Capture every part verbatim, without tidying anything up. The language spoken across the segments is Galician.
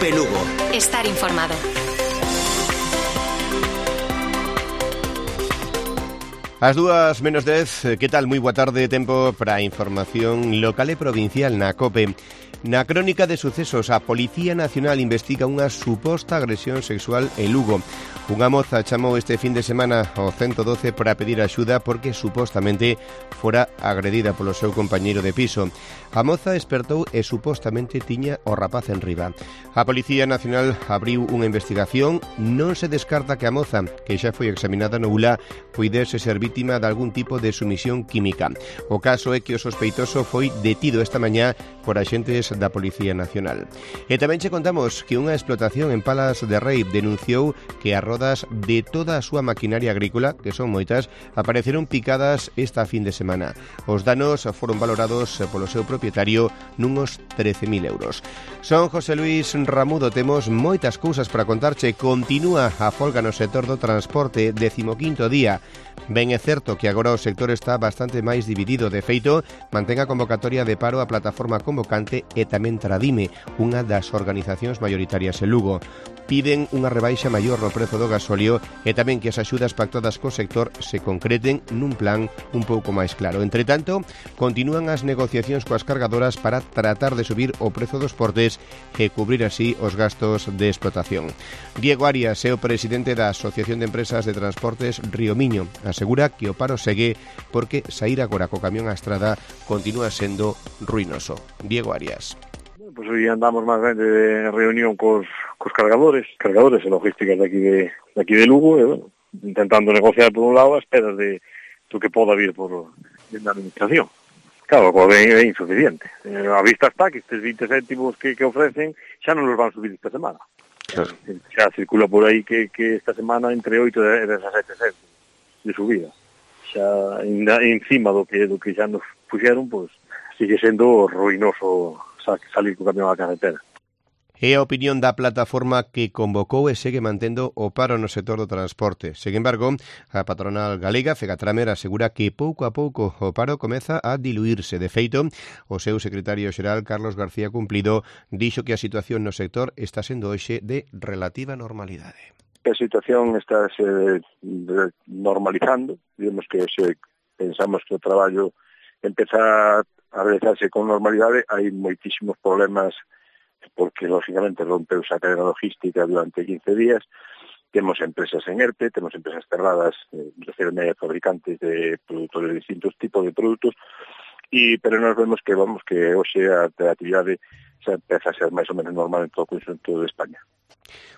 COPE Lugo. Estar informado. As dúas menos dez, que tal? Moi boa tarde, tempo para a información local e provincial na COPE. Na crónica de sucesos, a Policía Nacional investiga unha suposta agresión sexual en Lugo. Unha moza chamou este fin de semana ao ciento doce para pedir axuda porque supostamente fora agredida polo seu compañeiro de piso. A moza despertou e supostamente tiña o rapaz en riba. A Policía Nacional abriu unha investigación. Non se descarta que a moza, que xa foi examinada no U L A, puidese ser vítima de algún tipo de sumisión química. O caso é que o sospeitoso foi detido esta mañá por axentes da Policía Nacional. E tamén che contamos que unha explotación en Palas de Rei denunciou que as rodas de toda a súa maquinaria agrícola, que son moitas, apareceron picadas esta fin de semana. Os danos foron valorados polo seu propietario nunos trece mil euros. Son José Luis Ramudo, temos moitas cousas para contarche. Continúa a folga no sector do transporte, decimoquinto día. Ben é certo que agora o sector está bastante máis dividido. De feito, mantén a convocatoria de paro a plataforma convocante e tamén Tradime, unha das organizacións maioritarias en Lugo. Piden unha rebaixa maior no prezo do gasóleo e tamén que as axudas pactadas co sector se concreten nun plan un pouco máis claro. Entre tanto, continúan as negociacións coas cargadoras para tratar de subir o prezo dos portes e cubrir así os gastos de explotación. Diego Arias é o presidente da Asociación de Empresas de Transportes Río Miño. Asegura que o paro segue porque saír agora co camión á estrada continúa sendo ruinoso. Diego Arias. Pois hoy andamos máis ben de reunión cos, cos cargadores, cargadores e logísticas de aquí de, de aquí de Lugo, e, bueno, intentando negociar por un lado a esperas de do que poda vir por da administración. Claro, o ben é insuficiente. Eh, a vista está que estes vinte céntimos que, que ofrecen xa non los van subir esta semana. Claro. Xa circula por aí que, que esta semana entre oito e dezasete céntimos de subida. Xa encima do que do que xa nos puxeron, pois sigue sendo ruinoso salir co camión á carretera. É a opinión da plataforma que convocou e segue mantendo o paro no sector do transporte. Sen embargo, a patronal galega, Fegatramer, asegura que pouco a pouco o paro comeza a diluirse. De feito, o seu secretario xeral, Carlos García Cumplido, dixo que a situación no sector está sendo hoxe de relativa normalidade. A situación está se normalizando, digamos que se pensamos que o traballo empeza a realizarse con normalidade. Hai moitísimos problemas porque, lógicamente, rompeuse a cadena logística durante quince días. Temos empresas en ERTE, temos empresas cerradas, eh, refirme a fabricantes de produtores de distintos tipos de produtos, e, pero nós vemos que, vamos, que hoxe a actividade xa empeza a ser máis ou menos normal en todo o conxunto de España.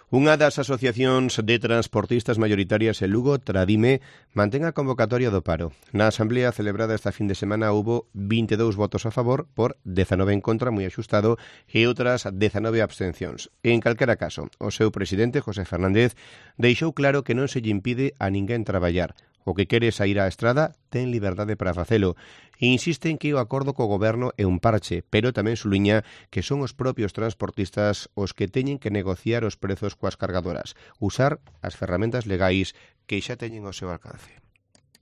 Unha das asociacións de transportistas maioritarias en Lugo, Tradime, mantén a convocatoria do paro. Na asamblea celebrada esta fin de semana houbo vinte e dous votos a favor por dezanove en contra, moi axustado, e outras dezanove abstencións. En calquera caso, o seu presidente, José Fernández, deixou claro que non se lle impide a ninguén traballar. O que quere sair á estrada ten liberdade para facelo. E insiste en que o acordo co goberno é un parche, pero tamén suliña que son os propios transportistas os que teñen que negociar os prezos coas cargadoras, usar as ferramentas legais que xa teñen ao seu alcance.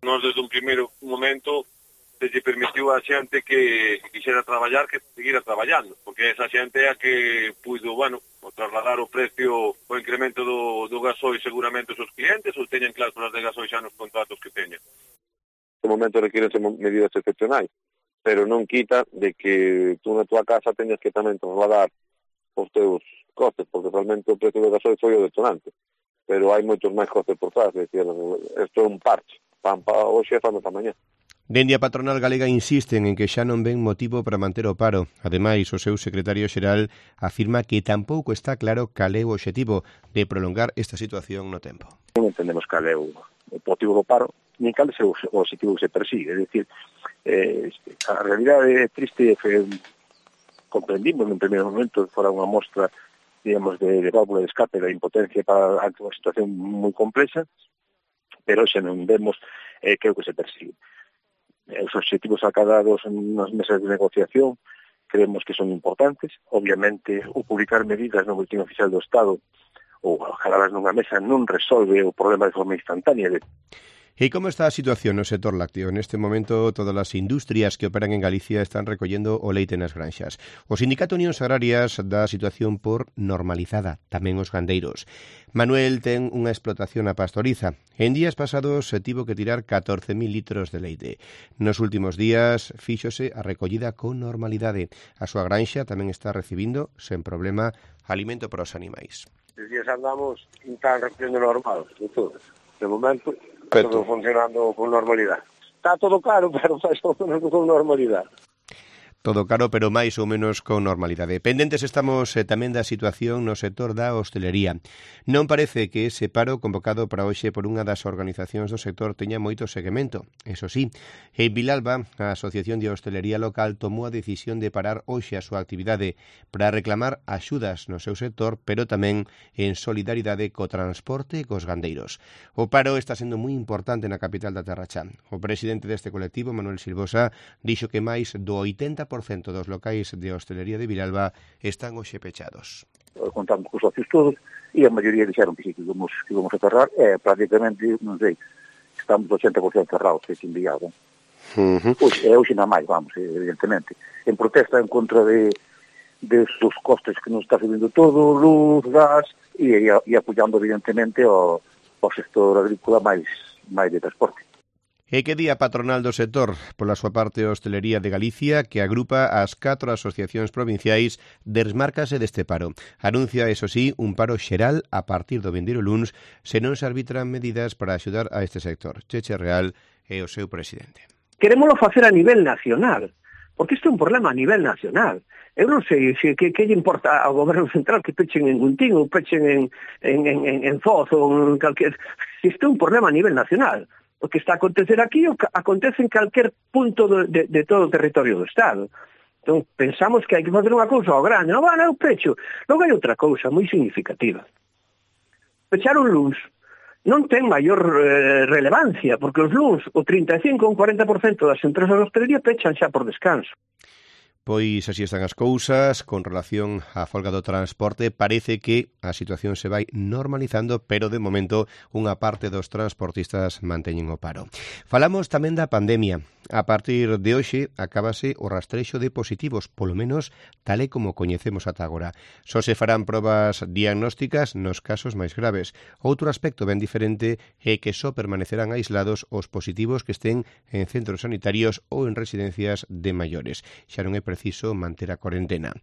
Nós, desde un primeiro momento, se lle permitiu a xente que quixera traballar que seguira traballando, porque esa xente é a que puido, bueno, trasladar o precio, o incremento do, do gasoil seguramente os seus clientes, ou teñen cláusulas de gasoil xa nos contratos que teñen. No momento requirense medidas excepcionais, pero non quita de que tú na tua casa teñas que tamén trasladar os teus costes, porque realmente o precio do gasoil foi o detonante, pero hai moitos máis costes por trás, é dicir, isto é un parche, pan para hoxe e pan para mañá. Dende a patronal galega insisten en que xa non ven motivo para manter o paro. Ademais, o seu secretario xeral afirma que tampouco está claro cal é o obxectivo de prolongar esta situación no tempo. Non entendemos cal é o motivo do paro, nin cal é o obxectivo que se persigue. É dicir, eh, a realidade é triste, que comprendimos no primeiro momento que fora unha mostra, digamos, de, de válvula de escape da impotencia para ante unha situación moi complexa, pero xa non vemos eh, que é o que se persigue. Os obxectivos acadados nas mesas de negociación creemos que son importantes. Obviamente, o publicar medidas no boletín oficial do Estado ou acadadas nunha mesa non resolve o problema de forma instantánea. E como está a situación no sector lácteo? Neste momento, todas as industrias que operan en Galicia están recollendo o leite nas granxas. O Sindicato Unións Agrarias dá a situación por normalizada, tamén os gandeiros. Manuel ten unha explotación a pastoriza. En días pasados se tivo que tirar catorce mil litros de leite. Nos últimos días fíxose a recollida con normalidade. A súa granxa tamén está recibindo, sen problema, alimento para os animais. Estes días andamos tan recollendo normal, de todo. De momento, está todo funcionando con normalidade. Está todo caro, pero está todo con normalidade. Todo caro, pero máis ou menos con normalidade. Pendentes estamos eh, tamén da situación no sector da hostelería. Non parece que ese paro convocado para hoxe por unha das organizacións do sector teña moito seguimento. Eso sí, en Vilalba, a Asociación de Hostelería Local tomou a decisión de parar hoxe a súa actividade para reclamar axudas no seu sector, pero tamén en solidaridade co transporte e cos gandeiros. O paro está sendo moi importante na capital da Terra Cha. O presidente deste colectivo, Manuel Silvosa, dixo que máis do oitenta por cento dos locais de hostelería de Vilalba están hoxe pechados. Contamos cos socios todos e a maioría dixeron que sí, que íbamos, que íbamos a cerrar, e prácticamente, non sei, estamos oitenta por cento cerrados, que se enviado. Uh-huh. Pois, é hoxe na máis, vamos, evidentemente. En protesta en contra de, de dos costes que nos está subindo todo, luz, gas, e, e, e apoiando evidentemente ao, ao sector agrícola máis, máis de transporte. E que día patronal do sector, pola súa parte a Hostelería de Galicia, que agrupa as catro asociacións provinciais, desmárcase deste paro. Anuncia, eso sí, un paro xeral a partir do vindeiro luns se non se arbitran medidas para axudar a este sector. Cheche Real é o seu presidente. Querémolo facer a nivel nacional, porque isto é un problema a nivel nacional. Eu non sei se que, que lle importa ao goberno central que pechen en Guntín ou pechen en, en, en, en Foz ou en calquer... Isto é un problema a nivel nacional. O que está a acontecer aquí o que acontece en calquer punto de, de, de todo o territorio do Estado. Entón, pensamos que hai que facer unha cousa ao grande. Non, van, eu pecho. Logo hai outra cousa moi significativa. Pechar un luns non ten maior eh, relevancia, porque os luns, o trinta e cinco ou cuarenta por cento das empresas de hostelería pechan xa por descanso. Pois así están as cousas. Con relación á folga do transporte, parece que a situación se vai normalizando, pero de momento unha parte dos transportistas manteñen o paro. Falamos tamén da pandemia. A partir de hoxe acábase o rastrexo de positivos, polo menos tal e como coñecemos ata agora. Só se farán probas diagnósticas nos casos máis graves. Outro aspecto ben diferente é que só permanecerán aislados os positivos que estén en centros sanitarios ou en residencias de maiores. Xa non é preciso manter a cuarentena.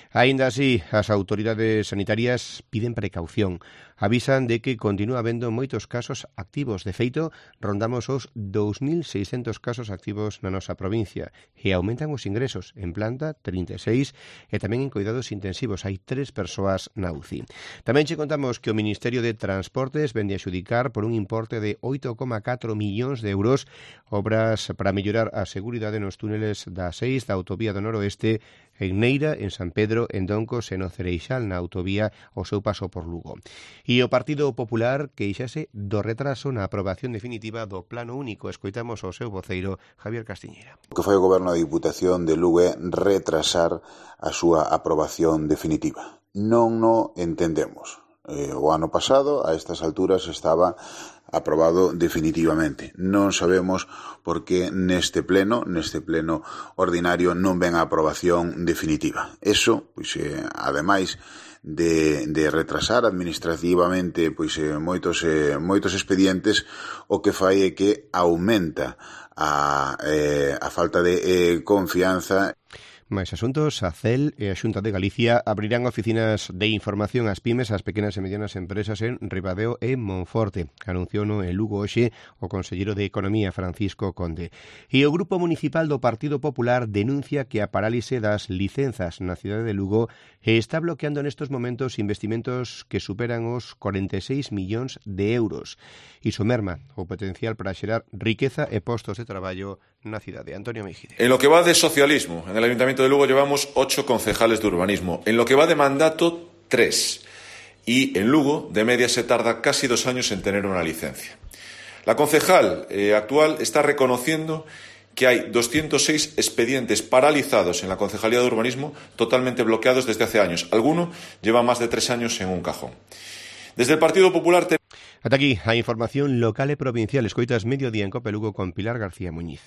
Aínda así, as autoridades sanitarias piden precaución. Avisan de que continúa habendo moitos casos activos. De feito, rondamos os dous mil seiscentos casos activos na nosa provincia e aumentan os ingresos en planta trinta e seis e tamén en cuidados intensivos. Hai tres persoas na U C I. Tamén che contamos que o Ministerio de Transportes vende a xudicar por un importe de oito coma catro millóns de euros obras para mellorar a seguridade nos túneles da seis da autovía do Noroeste en Neira, en San Pedro, en Doncos e no Cereixal, na autovía o seu paso por Lugo. E o Partido Popular queixase do retraso na aprobación definitiva do Plano Único. Escoitamos o seu voceiro, Javier Castiñeira. O que foi o Goberno da Diputación de Lugo é retrasar a súa aprobación definitiva. Non no entendemos. Eh, o ano pasado, a estas alturas, estaba aprobado definitivamente. Non sabemos por que neste pleno, neste pleno ordinario, non ven a aprobación definitiva. Eso, pois, eh, ademais de, de retrasar administrativamente pois, eh, moitos, eh, moitos expedientes, o que fai é que aumenta a, eh, a falta de eh, confianza. Mais asuntos, a C E L e a Xunta de Galicia abrirán oficinas de información ás pymes, ás pequenas e medianas empresas en Ribadeo e Monforte. Anunciouno en Lugo hoxe o conselleiro de Economía, Francisco Conde. E o Grupo Municipal do Partido Popular denuncia que a parálise das licenzas na cidade de Lugo está bloqueando nestes momentos investimentos que superan os cuarenta e seis millóns de euros. Iso merma o potencial para xerar riqueza e postos de traballo na cidade. Antonio Mejide. En lo que va de socialismo, en el Ayuntamiento de Lugo llevamos ocho concejales de urbanismo. En lo que va de mandato, tres. Y en Lugo, de media, se tarda casi dos años en tener una licencia. La concejal eh, actual está reconociendo que hay doscientos seis expedientes paralizados en la Concejalía de Urbanismo, totalmente bloqueados desde hace años. Alguno lleva más de tres años en un cajón. Desde el Partido Popular... Te... Ata aquí a información local e provincial. Escoitas Mediodía en Cope Lugo con Pilar García Muñiz.